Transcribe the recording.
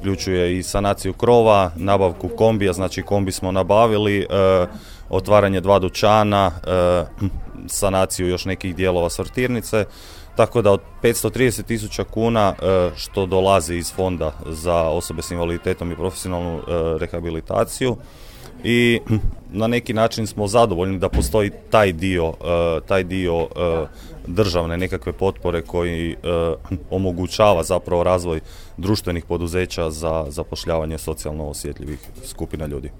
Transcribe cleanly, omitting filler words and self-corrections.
uključuje i sanaciju krova, nabavku kombija, znači kombi smo nabavili, otvaranje 2 dućana, sanaciju još nekih dijelova sortirnice, tako da od 530.000 kuna što dolazi iz fonda za osobe s invaliditetom i profesionalnu rehabilitaciju, i na neki način smo zadovoljni da postoji taj dio državne nekakve potpore koji omogućava zapravo razvoj društvenih poduzeća za zapošljavanje socijalno osjetljivih skupina ljudi.